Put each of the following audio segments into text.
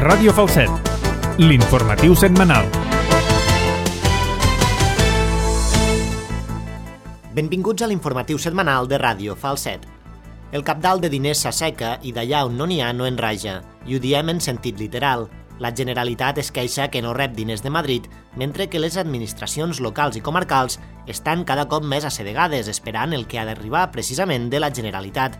Ràdio Falset, l'informatiu setmanal. Benvinguts a l'informatiu setmanal de Ràdio Falset. El cabdal de diners s'asseca i d'allà on no n'hi ha no en raja, i ho diem en sentit literal. La Generalitat es queixa que no rep diners de Madrid, mentre que les administracions locals i comarcals estan cada cop més assedegades esperant el que ha d'arribar precisament de la Generalitat.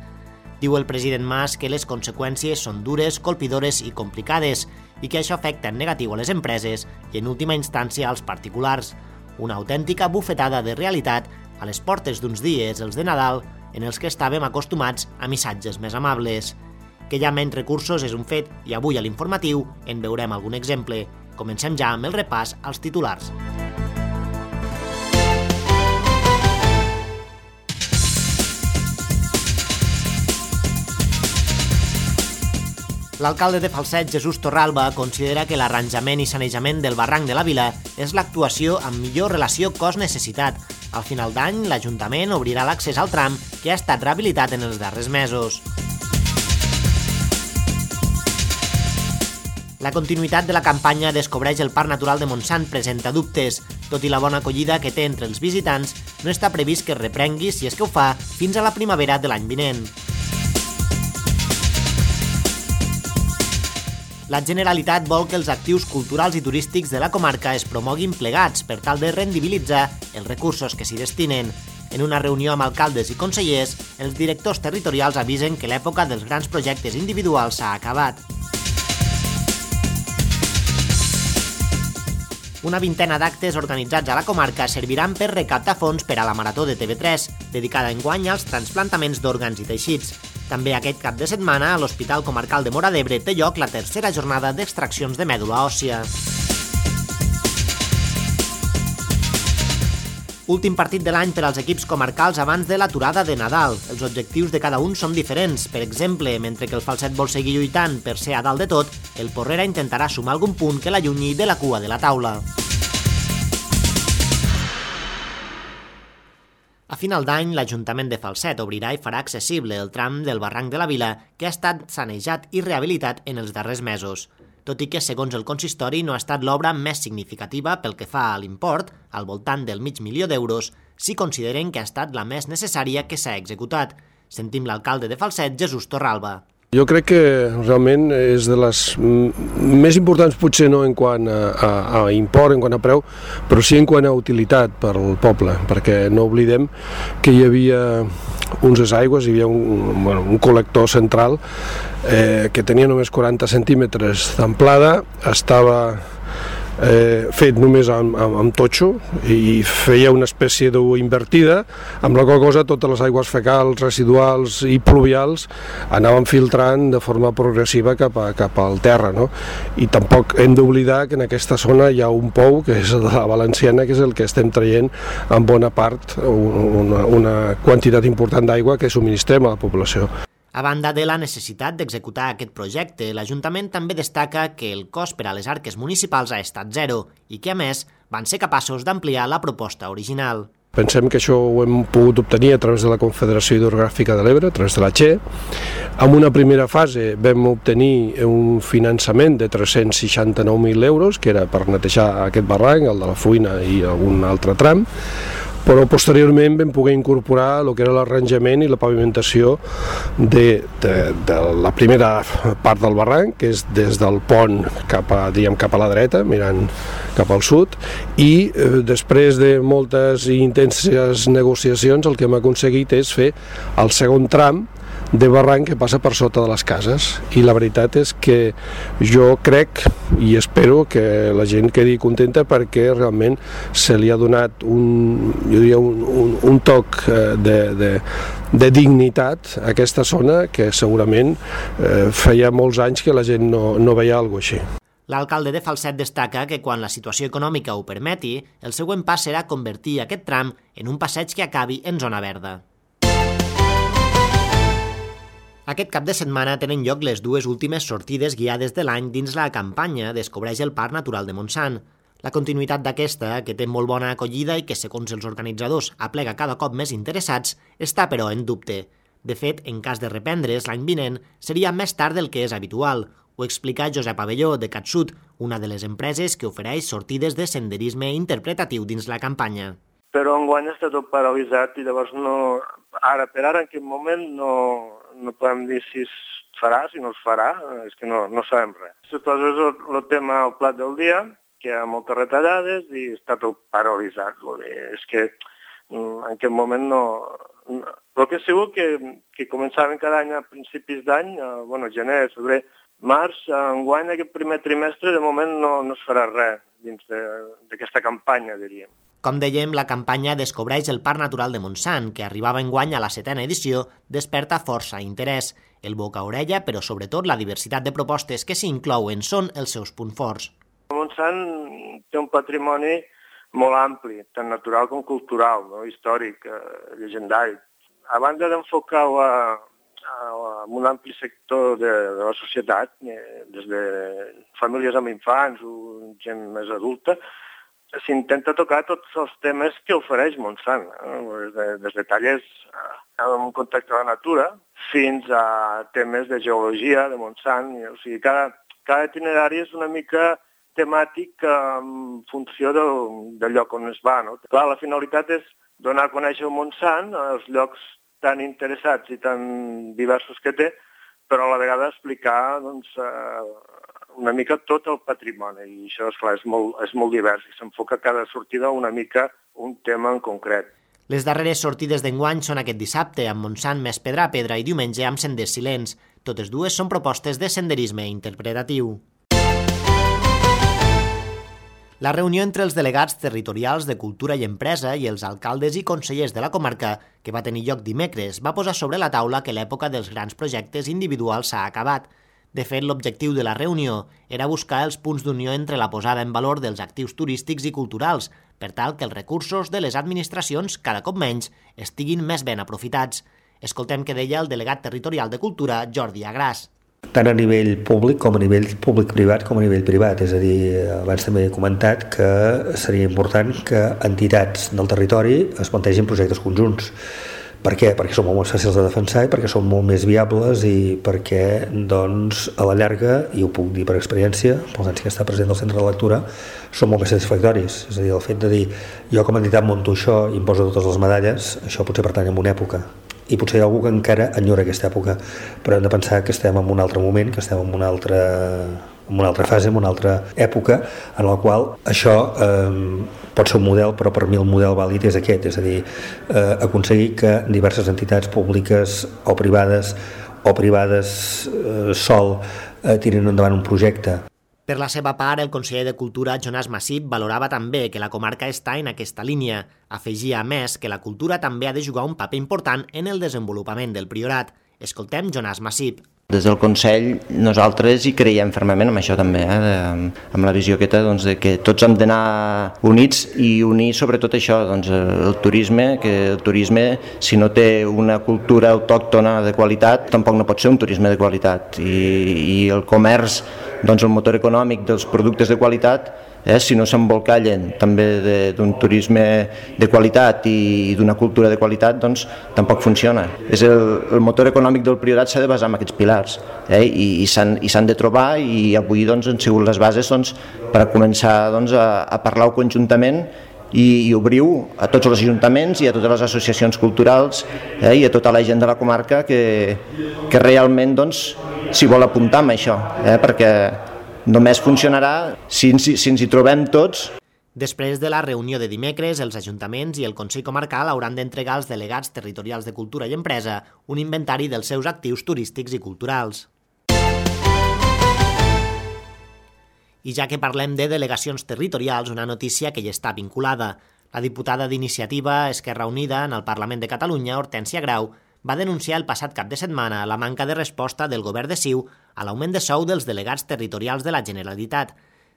Diu el president Mas que les conseqüències són dures, colpidores i complicades i que això afecta en negatiu a les empreses i en última instància als particulars. Una autèntica bufetada de realitat a les portes d'uns dies, els de Nadal, en els que estàvem acostumats a missatges més amables. Que hi ha menys recursos és un fet i avui a l'informatiu en veurem algun exemple. Comencem ja amb el repàs als titulars. L'alcalde de Falset, Jesús Torralba, considera que l'arranjament i sanejament del barranc de la Vila és l'actuació amb millor relació cost-necessitat. Al final d'any, l'Ajuntament obrirà l'accés al tram que ha estat rehabilitat en els darrers mesos. La continuïtat de la campanya Descobreix el Parc Natural de Montsant presenta dubtes. Tot i la bona acollida que té entre els visitants, no està previst que es reprengui, si és que ho fa, fins a la primavera de l'any vinent. La Generalitat vol que els actius culturals i turístics de la comarca es promoguin plegats per tal de rendibilitzar els recursos que s'hi destinen. En una reunió amb alcaldes i consellers, els directors territorials avisen que l'època dels grans projectes individuals s'ha acabat. Una vintena d'actes organitzats a la comarca serviran per recaptar fons per a la Marató de TV3, dedicada enguany als trasplantaments d'òrgans i teixits. També aquest cap de setmana, a l'Hospital Comarcal de Móra d'Ebre té lloc la tercera jornada d'extraccions de mèdula òssia. Últim partit de l'any per als equips comarcals abans de l'aturada de Nadal. Els objectius de cada un són diferents. Per exemple, mentre que el Falset vol seguir lluitant per ser a dalt de tot, el Porrera intentarà sumar algun punt que l'allunyi de la cua de la taula. A final d'any, l'Ajuntament de Falset obrirà i farà accessible el tram del barranc de la Vila que ha estat sanejat i rehabilitat en els darrers mesos. Tot i que, segons el consistori, no ha estat l'obra més significativa pel que fa a l'import, al voltant del $500.000, sí consideren que ha estat la més necessària que s'ha executat. Sentim l'alcalde de Falset, Jesús Torralba. Jo crec que realment és de les més importants, potser no en quant a import, en quant a preu, però sí en quant a utilitat per al poble, perquè no oblidem que hi havia uns aigües, hi havia un col·lector central que tenia només 40 centímetres d'amplada, estava fet només amb totxo i feia una espècie d'U invertida, amb la qual cosa totes les aigües fecals, residuals i pluvials anaven filtrant de forma progressiva cap al terra, no? I tampoc hem d'oblidar que en aquesta zona hi ha un pou, que és de la Valenciana, que és el que estem traient en bona part una quantitat important d'aigua que subministrem a la població. A banda de la necessitat d'executar aquest projecte, l'Ajuntament també destaca que el cost per a les arques municipals ha estat zero i que, a més, van ser capaços d'ampliar la proposta original. Pensem que això ho hem pogut obtenir a través de la Confederació Hidrogràfica de l'Ebre, a través de la Che. En una primera fase vam obtenir un finançament de 369.000 euros, que era per netejar aquest barranc, el de la Fuina i algun altre tram, però posteriorment vam poder incorporar el que era l'arranjament i la pavimentació de la primera part del barranc, que és des del pont cap a la dreta, mirant cap al sud, i després de moltes i intenses negociacions el que hem aconseguit és fer el segon tram de barranc que passa per sota de les cases, i la veritat és que jo crec i espero que la gent quedi contenta perquè realment se li ha donat un toc de dignitat a aquesta zona que segurament feia molts anys que la gent no veia alguna cosa així. L'alcalde de Falset destaca que quan la situació econòmica ho permeti, el següent pas serà convertir aquest tram en un passeig que acabi en zona verda. Aquest cap de setmana tenen lloc les dues últimes sortides guiades de l'any dins la campanya Descobreix el Parc Natural de Montsant. La continuïtat d'aquesta, que té molt bona acollida i que, segons els organitzadors, aplega cada cop més interessats, està però en dubte. De fet, en cas de reprendre's l'any vinent, seria més tard del que és habitual, Ho explica Josep Abelló, de CatSud, una de les empreses que ofereix sortides de senderisme interpretatiu dins la campanya. Però enguany està tot paralitzat i llavors per ara en aquest moment no podem dir si es farà, si no es farà, és que no sabem res. Suposo és el tema al plat del dia, que hi ha moltes retallades i està tot paralitzat. És que en aquest moment no... Però que segur que començaven cada any a principis d'any, gener, febrer, març, enguany aquest primer trimestre de moment no es farà res dins d'aquesta campanya, diríem. Com dèiem, la campanya Descobreix el Parc Natural de Montsant, que arribava enguany a la 7ª edició, desperta força interès. El boca-orella, però sobretot la diversitat de propostes que s'hi inclouen són els seus punts forts. Montsant té un patrimoni molt ampli, tant natural com cultural, històric, llegendari. A banda d'enfocar-ho en un ampli sector de la societat, des de famílies amb infants o gent més adulta, s'intenta tocar tots els temes que ofereix Montsant, des de tallers en contacte amb la natura fins a temes de geologia de Montsant. O sigui, cada itinerari és una mica temàtic en funció del lloc on es va. Clar, la finalitat és donar a conèixer el Montsant, els llocs tan interessats i tan diversos que té, però a la vegada explicar una mica tot el patrimoni. I això, esclar, és molt divers i s'enfoca cada sortida una mica un tema en concret. Les darreres sortides d'enguany són aquest dissabte, amb Montsant més pedra a pedra, i diumenge amb senders silents. Totes dues són propostes de senderisme interpretatiu. La reunió entre els delegats territorials de Cultura i Empresa i els alcaldes i consellers de la comarca, que va tenir lloc dimecres, va posar sobre la taula que l'època dels grans projectes individuals s'ha acabat. De fet, l'objectiu de la reunió era buscar els punts d'unió entre la posada en valor dels actius turístics i culturals, per tal que els recursos de les administracions, cada cop menys, estiguin més ben aprofitats. Escoltem què deia el delegat territorial de Cultura, Jordi Agràs. Tant a nivell públic com a nivell públic-privat com a nivell privat. És a dir, abans també he comentat que seria important que entitats del territori es plantegin projectes conjunts. Per què? Perquè són molt més fàcils de defensar i perquè són molt més viables i perquè, doncs, a la llarga, i ho puc dir per experiència, pels anys que està present del centre de lectura, són molt més satisfactoris. És a dir, el fet de dir, jo com a entitat monto això i em poso totes les medalles, això potser pertany a una època. I potser hi ha algú que encara enyora aquesta època, però hem de pensar que estem en un altre moment, que estem en una altra fase, en una altra època, en la qual això pot ser un model, però per mi el model vàlid és aquest, és a dir, aconseguir que diverses entitats públiques o privades sol tirin endavant un projecte. Per la seva part, el conseller de Cultura, Jonàs Massip, valorava també que la comarca està en aquesta línia. Afegia, a més, que la cultura també ha de jugar un paper important en el desenvolupament del Priorat. Escoltem Jonàs Massip. Des del Consell nosaltres hi creiem fermament amb això també, amb la visió aquesta de que tots hem d'anar units i unir sobretot això, el turisme, que el turisme si no té una cultura autòctona de qualitat tampoc no pot ser un turisme de qualitat i el comerç, el motor econòmic dels productes de qualitat, si no s'embolcallen també d'un turisme de qualitat i d'una cultura de qualitat, doncs tampoc funciona. El motor econòmic del Priorat s'ha de basar en aquests pilars i s'han de trobar i avui han sigut les bases per començar a parlar conjuntament i obrir-ho a tots els ajuntaments i a totes les associacions culturals i a tota la gent de la comarca que realment s'hi vol apuntar amb això, perquè només funcionarà si ens hi trobem tots. Després de la reunió de dimecres, els ajuntaments i el Consell Comarcal hauran d'entregar als delegats territorials de Cultura i Empresa un inventari dels seus actius turístics i culturals. I ja que parlem de delegacions territorials, una notícia que hi està vinculada. La diputada d'Iniciativa Esquerra Unida en el Parlament de Catalunya, Hortènsia Grau, va denunciar el passat cap de setmana la manca de resposta del govern de CiU a l'augment de sou dels delegats territorials de la Generalitat.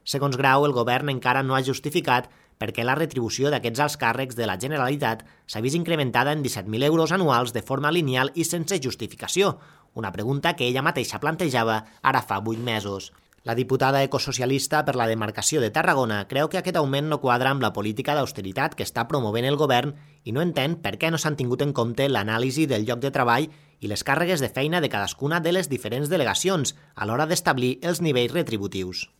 Segons Grau, el govern encara no ha justificat perquè la retribució d'aquests alts càrrecs de la Generalitat s'ha vist incrementada en 17.000 euros anuals de forma lineal i sense justificació, una pregunta que ella mateixa plantejava ara fa 8 mesos. La diputada ecosocialista per la demarcació de Tarragona creu que aquest augment no quadra amb la política d'austeritat que està promovent el govern i no entén per què no s'han tingut en compte l'anàlisi del lloc de treball i les càrregues de feina de cadascuna de les diferents delegacions a l'hora d'establir els nivells retributius.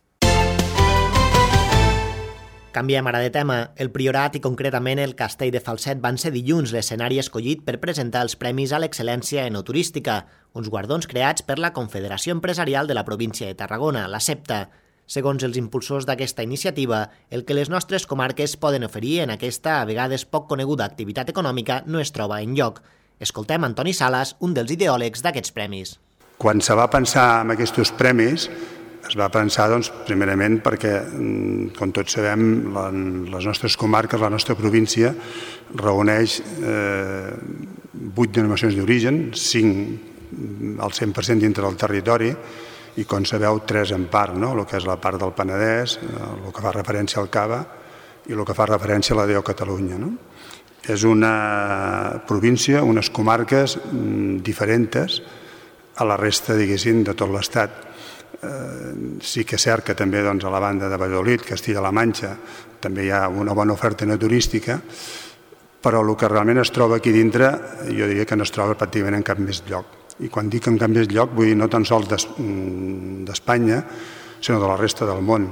Canviem ara de tema. El Priorat i concretament el Castell de Falset van ser dilluns l'escenari escollit per presentar els Premis a l'Excel·lència Enoturística, uns guardons creats per la Confederació Empresarial de la Província de Tarragona, la CEPTA. Segons els impulsors d'aquesta iniciativa, el que les nostres comarques poden oferir en aquesta a vegades poc coneguda activitat econòmica no es troba enlloc. Escoltem Antoni Salas, un dels ideòlegs d'aquests premis. Quan se va pensar en aquests premis, es va pensar, primerament, perquè, com tots sabem, les nostres comarques, la nostra província, reuneix 8 denominacions d'origen, 5 al 100% dintre del territori, i, com sabeu, 3 en part, el que és la part del Penedès, el que fa referència al Cava i el que fa referència a la DO Catalunya. És una província, unes comarques diferents a la resta, diguéssim, de tot l'Estat. Sí que és cert que també a la banda de Valladolid, Castilla-La Manxa, també hi ha una bona oferta enoturística, però el que realment es troba aquí dintre, jo diria que no es troba pràcticament en cap més lloc. I quan dic en cap més lloc, vull dir no tan sols d'Espanya, sinó de la resta del món.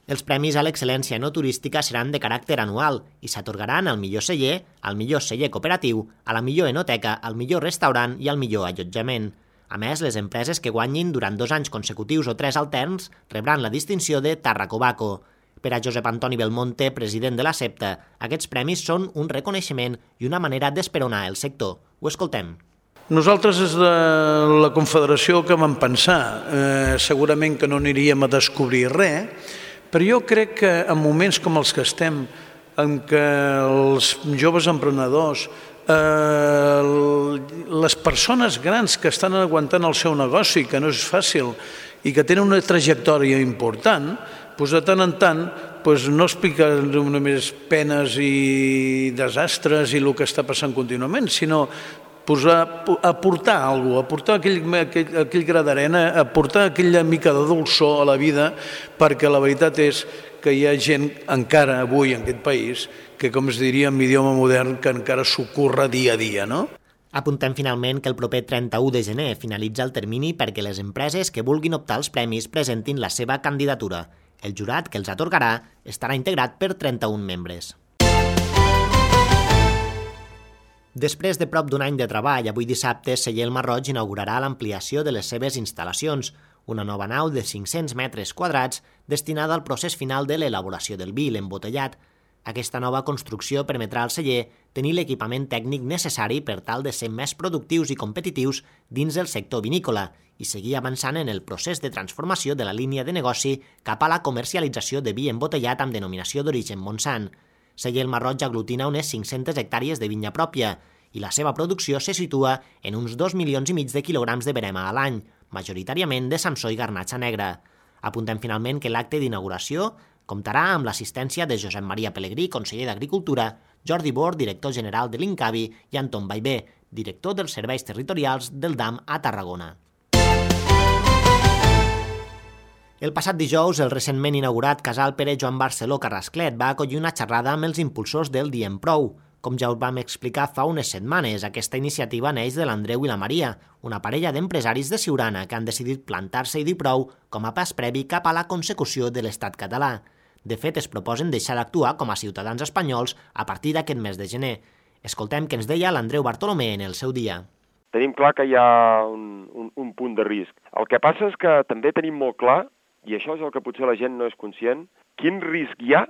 Els premis a l'excel·lència enoturística seran de caràcter anual i s'atorgaran al millor celler, al millor celler cooperatiu, a la millor enoteca, al millor restaurant i al millor allotjament. A més, les empreses que guanyin durant 2 anys consecutius o 3 alterns rebran la distinció de Tarracobaco. Per a Josep Antoni Belmonte, president de la CEPTA, aquests premis són un reconeixement i una manera d'esperonar el sector. Ho escoltem. Nosaltres des de la Confederació que vam pensar, segurament que no aniríem a descobrir res, però jo crec que en moments com els que estem, en què els joves emprenedors, les persones grans que estan aguantant el seu negoci, que no és fàcil, i que tenen una trajectòria important, de tant en tant no expliquen només penes i desastres i el que està passant contínuament, sinó aportar alguna cosa, aportar aquell gra d'arena, aportar aquella mica de dolçor a la vida, perquè la veritat és que hi ha gent encara avui en aquest país que, com es diria en idioma modern, que encara s'ocorre dia a dia, no? Apuntem finalment que el proper 31 de gener finalitza el termini perquè les empreses que vulguin optar als premis presentin la seva candidatura. El jurat que els atorgarà estarà integrat per 31 membres. Després de prop d'un any de treball, avui dissabte, Celler el Marroig inaugurarà l'ampliació de les seves instal·lacions, una nova nau de 500 metres quadrats destinada al procés final de l'elaboració del vi, l'embotellat. Aquesta nova construcció permetrà al celler tenir l'equipament tècnic necessari per tal de ser més productius i competitius dins del sector vinícola i seguir avançant en el procés de transformació de la línia de negoci cap a la comercialització de vi embotellat amb denominació d'origen Montsant. Celler el Marroig aglutina unes 500 hectàrees de vinya pròpia i la seva producció se situa en uns 2,5 milions de quilograms de verema a l'any, majoritàriament de samsó i garnatxa negra. Apuntem finalment que l'acte d'inauguració comptarà amb l'assistència de Josep Maria Pelegrí, conseller d'Agricultura, Jordi Bor, director general de l'Incavi, i Anton Baibé, director dels serveis territorials del DAM a Tarragona. El passat dijous, el recentment inaugurat casal Pere Joan Barceló Carrasclet va acollir una xerrada amb els impulsors del Diem Prou. Com ja us vam explicar fa unes setmanes, aquesta iniciativa neix de l'Andreu i la Maria, una parella d'empresaris de Siurana que han decidit plantar-se i dir prou com a pas previ cap a la consecució de l'Estat català. De fet, es proposen deixar d'actuar com a ciutadans espanyols a partir d'aquest mes de gener. Escoltem què ens deia l'Andreu Bartolomé en el seu dia. Tenim clar que hi ha un punt de risc. El que passa és que també tenim molt clar, i això és el que potser la gent no és conscient, quin risc hi ha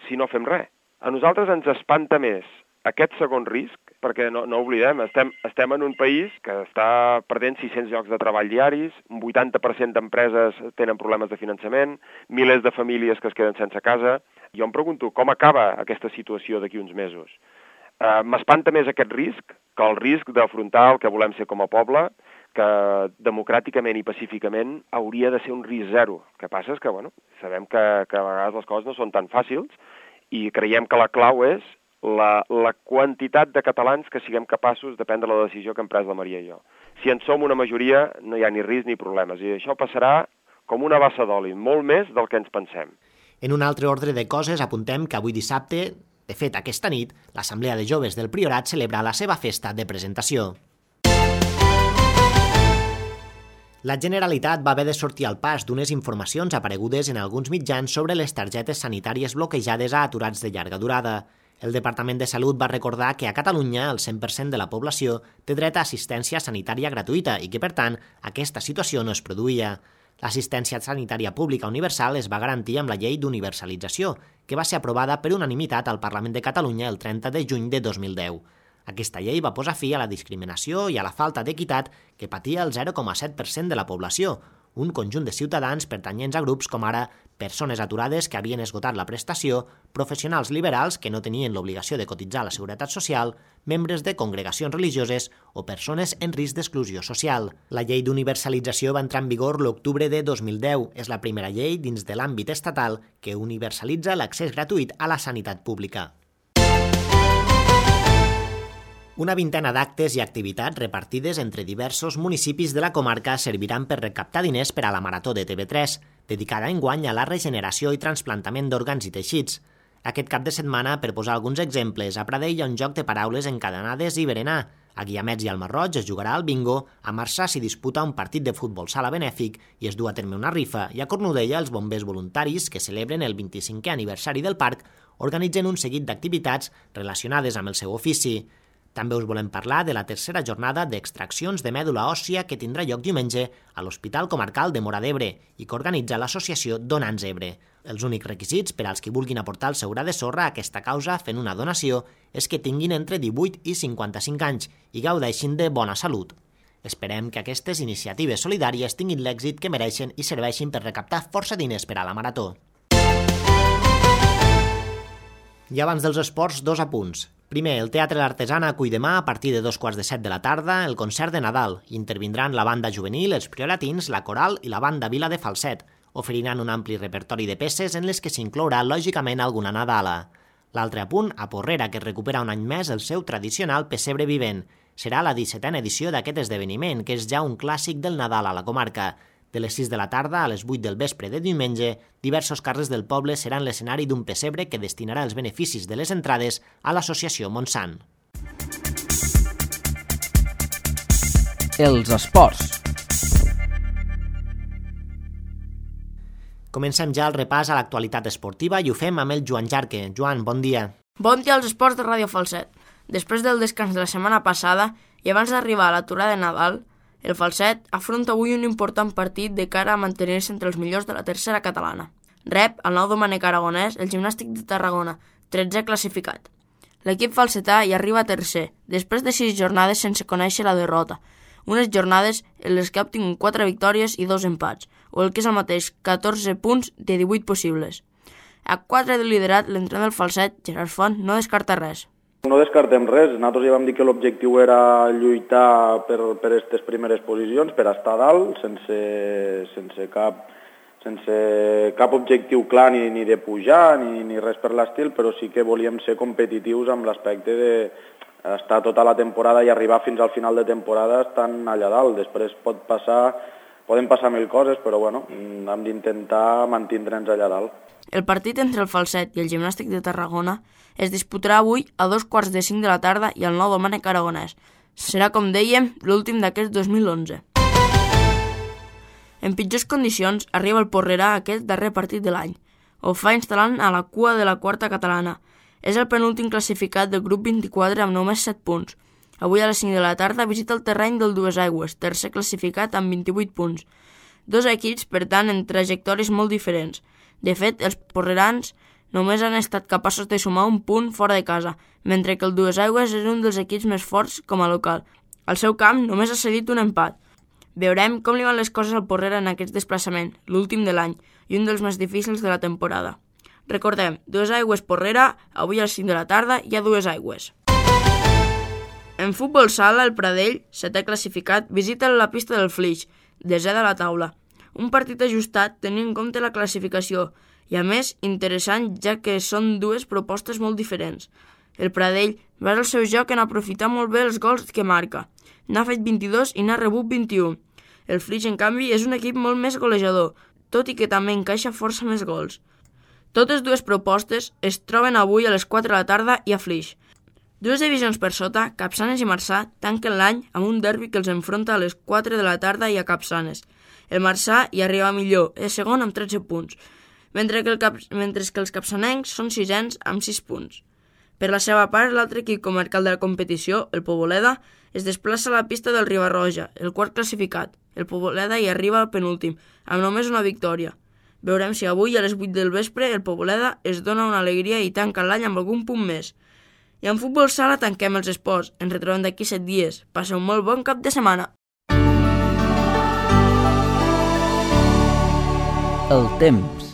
si no fem res. A nosaltres ens espanta més aquest segon risc, perquè no oblidem, estem en un país que està perdent 600 llocs de treball diaris, un 80% d'empreses tenen problemes de finançament, milers de famílies que es queden sense casa. Jo em pregunto com acaba aquesta situació d'aquí uns mesos. M'espanta més aquest risc que el risc d'afrontar el que volem ser com a poble, que democràticament i pacíficament hauria de ser un risc zero. El que passa és que, sabem que a vegades les coses no són tan fàcils i creiem que la clau és la quantitat de catalans que siguem capaços de prendre la decisió que hem pres la Maria i jo. Si en som una majoria, no hi ha ni risc ni problemes, i això passarà com una bassa d'oli, molt més del que ens pensem. En un altre ordre de coses, apuntem que avui dissabte, de fet aquesta nit, l'Assemblea de Joves del Priorat celebra la seva festa de presentació. La Generalitat va haver de sortir al pas d'unes informacions aparegudes en alguns mitjans sobre les targetes sanitàries bloquejades a aturats de llarga durada. El Departament de Salut va recordar que a Catalunya el 100% de la població té dret a assistència sanitària gratuïta i que, per tant, aquesta situació no es produïa. L'assistència sanitària pública universal es va garantir amb la Llei d'Universalització, que va ser aprovada per unanimitat al Parlament de Catalunya el 30 de juny de 2010. Aquesta llei va posar fi a la discriminació i a la falta d'equitat que patia el 0,7% de la població, un conjunt de ciutadans pertanyents a grups com ara persones aturades que havien esgotat la prestació, professionals liberals que no tenien l'obligació de cotitzar a la Seguretat Social, membres de congregacions religioses o persones en risc d'exclusió social. La llei d'universalització va entrar en vigor l'octubre de 2010. És la primera llei dins de l'àmbit estatal que universalitza l'accés gratuït a la sanitat pública. Una vintena d'actes i activitats repartides entre diversos municipis de la comarca serviran per recaptar diners per a la Marató de TV3, dedicada enguany a la regeneració i trasplantament d'òrgans i teixits. Aquest cap de setmana, per posar alguns exemples, a Pradell hi ha un joc de paraules encadenades i berenar. A Guiamets i al Masroig es jugarà al bingo, a Marçà s'hi disputa un partit de futbol sala benèfic i es du a terme una rifa, i a Cornudella els bombers voluntaris, que celebren el 25è aniversari del parc, organitzen un seguit d'activitats relacionades amb el seu ofici. També us volem parlar de la tercera jornada d'extraccions de mèdula òssia que tindrà lloc diumenge a l'Hospital Comarcal de Móra d'Ebre i que organitza l'associació Donants Ebre. Els únics requisits per als qui vulguin aportar el seu gra de sorra a aquesta causa fent una donació és que tinguin entre 18 i 55 anys i gaudeixin de bona salut. Esperem que aquestes iniciatives solidàries tinguin l'èxit que mereixen i serveixin per recaptar força diners per a la Marató. I abans dels esports, 2 apunts. Primer, el Teatre L'Artesana acull demà, a partir de 2:15 de la tarda, el concert de Nadal. Intervindran la banda juvenil, els Prioratins, la Coral i la banda Vila de Falset. Oferiran un ampli repertori de peces en les que s'inclourà, lògicament, alguna Nadala. L'altre apunt, a Porrera, que recupera un any més el seu tradicional pessebre vivent. Serà la 17a edició d'aquest esdeveniment, que és ja un clàssic del Nadal a la comarca. De les 6 de la tarda a les 8 del vespre de diumenge, diversos carrers del poble seran l'escenari d'un pessebre que destinarà els beneficis de les entrades a l'associació Montsant. Els esports. Comencem ja el repàs a l'actualitat esportiva i ho fem amb el Joan Jarque. Joan, bon dia. Bon dia als esports de Ràdio Falset. Després del descans de la setmana passada i abans d'arribar a l'aturada de Nadal, el Falset afronta avui un important partit de cara a mantenir-se entre els millors de la tercera catalana. Rep el nou Domènec Aragonès, el Gimnàstic de Tarragona, 13è classificat. L'equip falsetà hi arriba tercer, després de 6 jornades sense conèixer la derrota, unes jornades en les que ha obtingut 4 victòries i 2 empats, o el que és el mateix, 14 punts de 18 possibles. A 4 de liderat, l'entrenador del Falset, Gerard Font, no descarta res. No descartem res, nosaltres ja vam dir que l'objectiu era lluitar per aquestes primeres posicions, per estar a dalt, sense cap objectiu clar ni de pujar ni res per l'estil, però sí que volíem ser competitius amb l'aspecte d'estar tota la temporada i arribar fins al final de temporada estant allà dalt. Després poden passar 1000 coses, però bueno, hem d'intentar mantindre'ns allà dalt. El partit entre el Falset i el Gimnàstic de Tarragona es disputarà avui a 2:45 de la tarda i al nou Domènec Aragonès. Serà, com dèiem, l'últim d'aquest 2011. En pitjors condicions arriba el Porrera aquest darrer partit de l'any. Ho fa instal·lant a la cua de la quarta catalana. És el penúltim classificat del grup 24 amb només 7 punts. Avui a les 5 de la tarda visita el terreny del Duesaigües, tercer classificat amb 28 punts. 2 equips, per tant, en trajectòries molt diferents. De fet, els porrerans només han estat capaços de sumar un punt fora de casa, mentre que el Duesaigües és un dels equips més forts com a local. Al seu camp només ha cedit un empat. Veurem com li van les coses al Porrera en aquest desplaçament, l'últim de l'any, i un dels més difícils de la temporada. Recordem, Duesaigües Porrera, avui a les 5 de la tarda hi ha Duesaigües. En futbol sala, el Pradell, 7è classificat, visita la pista del Flix, 10è de la taula. Un partit ajustat tenint en compte la classificació i, a més, interessant ja que són 2 propostes molt diferents. El Pradell basa el seu joc en aprofitar molt bé els gols que marca. N'ha fet 22 i n'ha rebut 21. El Flix, en canvi, és un equip molt més golejador, tot i que també encaixa força més gols. Totes 2 propostes es troben avui a les 4 de la tarda i a Flix. Dues divisions per sota, Capçanes i Marçà tanquen l'any amb un derbi que els enfronta a les 4 de la tarda i a Capçanes. El Marçà hi arriba millor, és segon amb 13 punts, mentre que els capçanencs són sisens amb 6 punts. Per la seva part, l'altre equip comarcal de la competició, el Poboleda, es desplaça a la pista del Riba-roja, el quart classificat. El Poboleda hi arriba al penúltim, amb només una victòria. Veurem si avui a les 8 del vespre el Poboleda es dona una alegria i tanca l'any amb algun punt més. I en futbol sala tanquem els esports. Ens retrobem d'aquí 7 dies. Passeu un molt bon cap de setmana. El temps.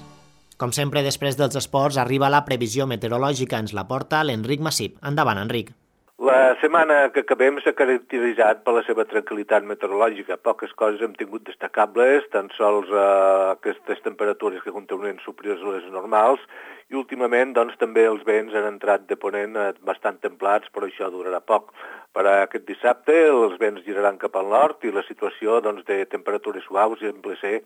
Com sempre, després dels esports, arriba la previsió meteorològica. Ens la porta l'Enric Massip. Endavant, Enric. La setmana que acabem s'ha caracteritzat per la seva tranquil·litat meteorològica. Poques coses hem tingut destacables, tan sols aquestes temperatures que continuen superiors a les normals, i últimament doncs, també els vents han entrat de ponent bastant templats, però això durarà poc. Per aquest dissabte els vents giraran cap al nord i la situació doncs, de temperatures suaus sembla ser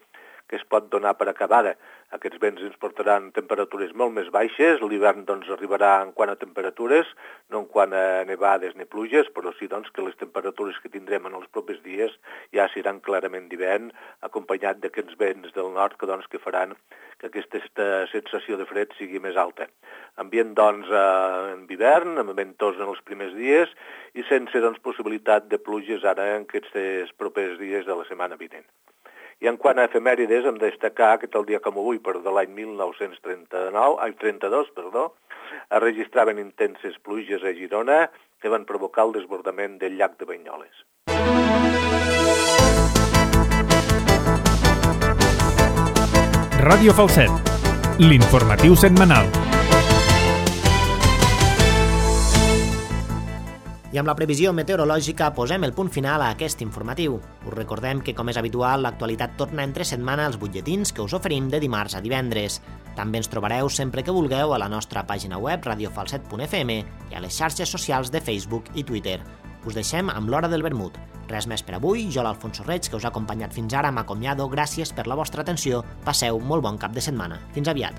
que es pot donar per acabada. Aquests vents ens portaran temperatures molt més baixes, l'hivern doncs, arribarà en quant a temperatures, no en quant a nevades ni pluges, però sí doncs, que les temperatures que tindrem en els propers dies ja seran clarament d'hivern, acompanyat d'aquests vents del nord que, doncs, que faran que aquesta sensació de fred sigui més alta. Ambient doncs, en hivern, amb ventós en els primers dies i sense doncs, possibilitat de pluges ara en aquests propers dies de la setmana vinent. I en quant a efemèrides, hem de destacar que el dia com avui, de l'any 1932, es registraven intenses pluges a Girona que van provocar el desbordament del llac de Banyoles. Ràdio Falset, l'informatiu setmanal. I amb la previsió meteorològica posem el punt final a aquest informatiu. Us recordem que, com és habitual, l'actualitat torna entre setmana als butlletins que us oferim de dimarts a divendres. També ens trobareu sempre que vulgueu a la nostra pàgina web radiofalset.fm i a les xarxes socials de Facebook i Twitter. Us deixem amb l'Hora del Vermut. Res més per avui, jo l'Alfonso Reig, que us ha acompanyat fins ara, m'acomiado. Gràcies per la vostra atenció. Passeu molt bon cap de setmana. Fins aviat.